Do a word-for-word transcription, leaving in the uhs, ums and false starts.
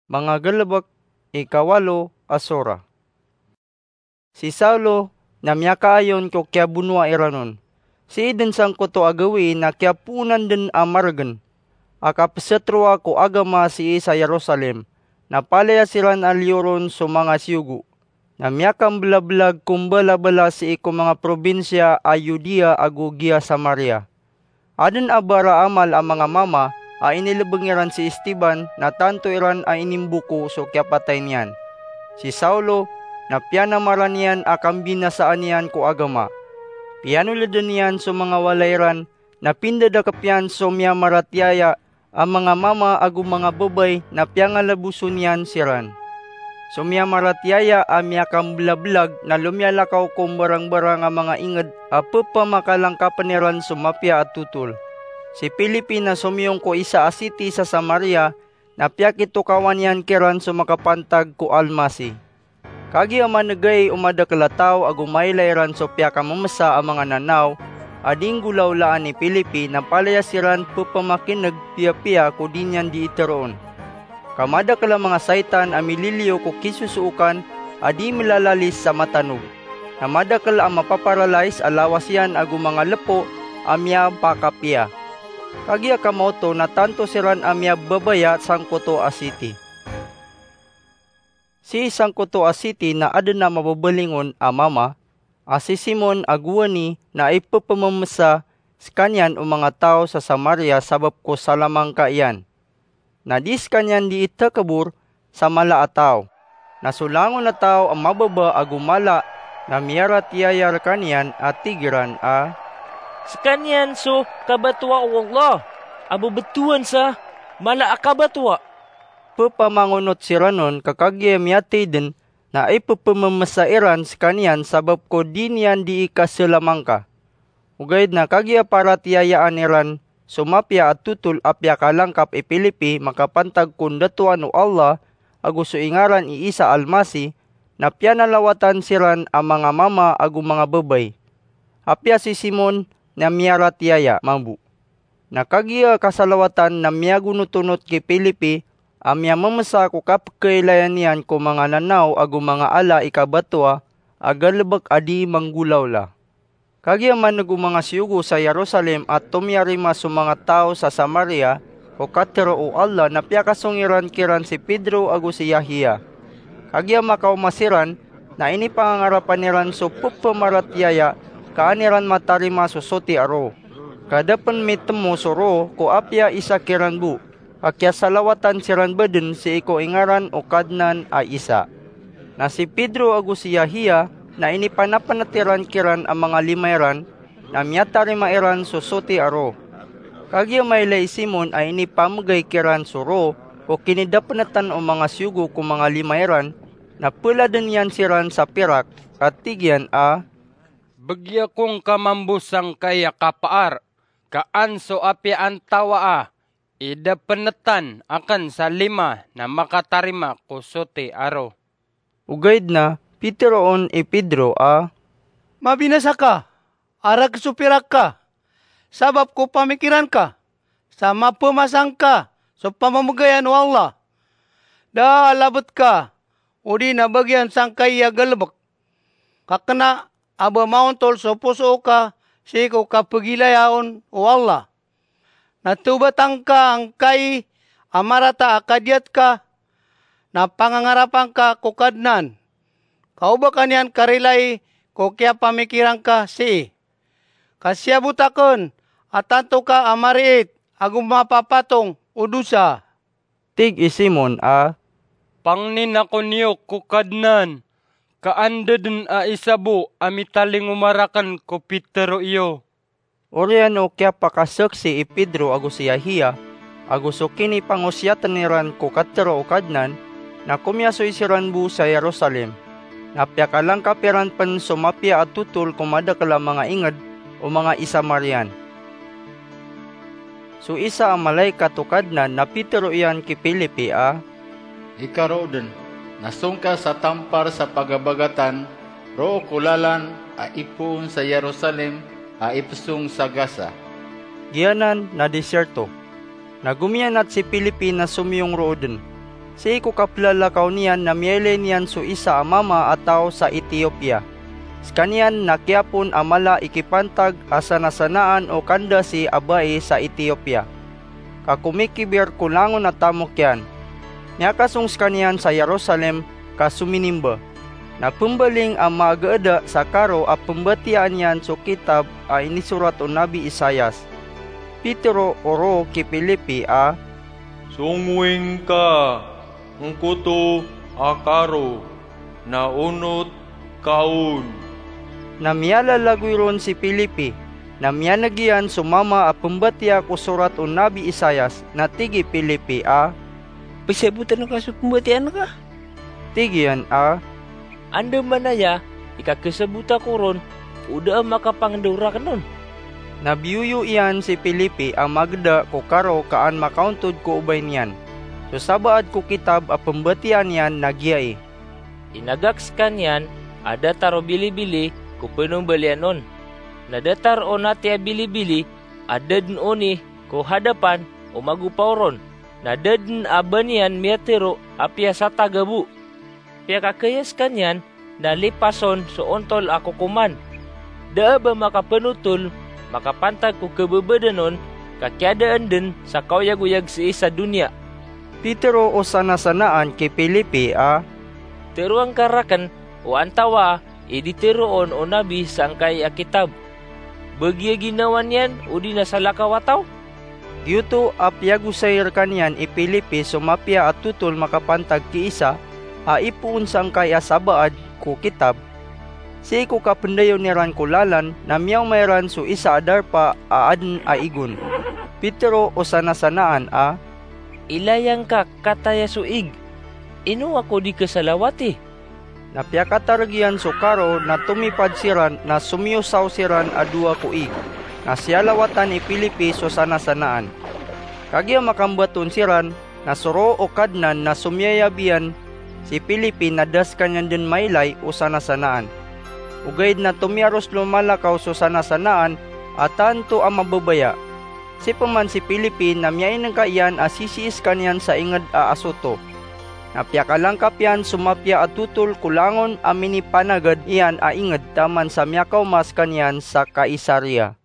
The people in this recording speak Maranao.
Mangagalebek, ikawalo a sora. Si Saulo na miyakaayon ko kiyabonoa iran on. Sii den sangkoto a gawii na kiyapoonan den a maregen a kapesetroa ko agama sii sa Jerusalem, na palaya siran a liyo ron so manga siyogo. Na miyakambelabelag ko mbalabala sii ko manga probinsiya a Judea ago giya Samaria. Aden a bara amal a manga mama a inilebeng iran si Esteban na tanto iran a inimboko so kiyapatay niyan. Si Saulo na piyanamaran iyan a kambinasaan iyan ko agama. Piyanoleden iyan so manga walay ran, na pindadakep iyan so miyamaratiyaya a manga mama ago manga babay na piyangalaboson iyan siran. So miyamaratiyaya a miyakambelabelag na lomiyalakaw ko mbarangbarang a manga inged a pepamakalangkapen iran so mapiya a totol. Si Felipe na somiyong ko isa a siti sa Samaria na piyakitokawan iyan kiran so makapantag ko Almasih. Kagiya manegay o madakel a taw ago mailay ran so piyakamemesa a manga nanaw a di nggolawlaan i Felipe, na palaya siran pepamakineg piyapiya ko di niyan dii teroon. Ka madakel a manga saitan a mililiyo ko kisosookan a di melalalis sa matanog. Na madakel a mapaparalais a lawas iyan ago manga lepo a miyapakapiya. Kagiya kamaoto na tanto siran a miyababaya sangkoto a siti. Sii sangkoto a siti na aden a mababalingon a mama, a si Simon a gowani, na ipepememesa sekaniyan o manga taw sa Samaria sabap ko salamangka iyan. Na di sekaniyan dii tekebor sa mala a taw. Na so langon a taw a mababa ago mala na miyaratiyaya rekaniyan a tig iran a, "Sekaniyan so kabatowa o Allah a bebetowan sa mala a kabatowa." Pepamangonot siran on ka kagiya miyatey den na ipepememesa iran sekaniyan sabap ko di niyan dii kasalamangka. Ogaid na kagiya paratiyayaan iran so mapiya a totol a piyakalangkap i Felipe makapantag ko ndatoan o Allah ago so ingaran i Isa Almasih, na piyanalawatan siran a manga mama ago manga babay. Apiya si Simon na miyaratiyaya mambo. Na kagiya kasalawatan na miyagonotonot ki Felipe a miyamemesa ko kapekailayan iyan ko manga nanaw ago manga ala i kabatowa a galebek a di manggolawla. Kagiya maneg o manga siyogo sa Jerusalem a tomiyarima so manga taw sa Samaria ko katero o Allah na piyakasong iran kiran si Pedro ago si Yahya. Kagiya makaoma siran na inipangangarapan iran so pepamaratiyaya ka an iran matarima so soti a roo. Ka da pen mitemo so roo ko apiya isa kiran bo, ka kiyasalawatan siran baden sii ko ingaran o Kadnan a Isa. Na si Pedro ago si Yahya na inipanapenet iran kiran a manga lima iran, na miyatarima iran so soti a roo. Kagiya mailay i Simon a inipamegay kiran so roo ko kinidapenetan o manga siyogo ko manga lima iran, na peladen iyan siran sa pirak, ka tig iyan a, "Begi ako ngka mambo sangkai a kapaar, ka an so apiya antawaa i dapenetan aken sa lima na makatarima ko soti a roo." Ogaid na piteroon i Pedro a, "Mabinasa ka, a rek so pirak ka, sabap ko pamikiran ka sa mapemasa ngka so pamamegayan o Allah. Da a labet ka odi na bagian sangkai a galebek, ka kena a ba maontol so posoo ka sii ko kapegilayaon o Allah. Na tobatan ka angkai a marata a kadiyat ka, na pangangarapan ka ko Kadnan, ka o ba ka niyan karilai ko kiyapamikiran ka sii. Ka siyabot aken a tanto ka a mariit ago mapapatong o dosa." Tig i Simon a, "Pangnin ako niyo ko Kadnan, ka an da den a isa bo a mitalingoma raken ko pitero iyo." Oriyan o kiyapakasaksi i Pedro ago si Yahya, ago so kinipangosiyaten iran ko katero o Kadnan, na komiyasoy siran bo sa Jerusalem. Na piyakalangkap iran pen so mapiya a totol ko madakel a manga inged o manga Isamarian. So isa a malaikat o Kadnan na pitero iyan ki Felipe a, "Ikarooden, na song ka sa tampar sa pagabagatan, roo ko lalan a ipoon sa Jerusalem a ipesong sa Gaza." Giyanan na disirto. Na gomiyanat si Felipe na somiyong rooden. Sii ko kaplalakaw niyan na miyailay niyan so isa a mama a taw sa Etiopia. Skaniyan na kiyapon a mala i kipantag a sanasanaan o kandasi a bai sa Etiopia, ka komikibir ko langon a tamok iyan. Miyakasong skaniyan sa Jerusalem ka sominimba. Na pembaling a maagaada sa karo a pembatiyaan iyan so kitab a inisorat o Nabi Isaias. Pitero o roo ki Pilipi a, "Songoing ka, ngkoto a karo, na onot ka on." Na miyalalagoy ron si Pilipi, na miyaneg iyan so mama a pembatiya ko sorat o Nabi Isaias, na tig i Pilipi a, "Pesabotan ka so pembatiyaan ka?" Tig iyan a, "Andamanaya i kakesabota ko ron, o da a makapangendao raken on." Na biyoyo iyan si Pilipi a mageda ko karo ka an makaontod ko obay niyan. So sabaad ko kitab a pembatiyaan iyan na giyai: "Inagak skaniyan a datar o bilibili ko penombalian on. Na datar o nati a bilibili a da den oni ko hadapan o magopaw ron, na da den a ba niyan miyatero apiya sa tagabo. Piyakakaya skaniyan na lipason so ontol a kokoman. Da a ba makapenotol makapantag ko kebebadan on, ka kiyadaan den sa kaoyagoyag sii sa doniya." Pitero o sanasanaan ki Pilipi a, "Teroang ka raken o antawaa i di teroon o nabi sangkai a kitab. Ba giya ginawa niyan odi na salakaw a taw?" Giyoto a piyagosay rekaniyan i Pilipi so mapiya a totol makapantag ki Isa a ipoon sangkai a sabaad ko kitab. Sii ko kapendayon iran ko lalan na miyaoma iran so isa a darpa a aden a igon. Pitero o sanasanaan a, "Ilayang ka kataya so ig. Ino ako di kesalawati?" Na piyakatareg iyan so karo na tomipad siran na somiyosaw siran a dowa ko ig, na siyalawatan i Pilipi so sanasanaan. Kagiya makambaton siran, na so roo o Kadnan na somiyayab iyan si Pilipi na da sekaniyan den mailay o sanasanaan. Ogaid na tomiyaros lomalakaw so sanasanaan a tanto a mababaya. Sii peman si Pilipi na miyainengka iyan a sisii sekaniyan sa inged a Asoto. Na piyakalangkap iyan so mapiya a totol ko langon a minipanagad iyan a inged taman sa miyakaoma sekaniyan sa Kaisaria.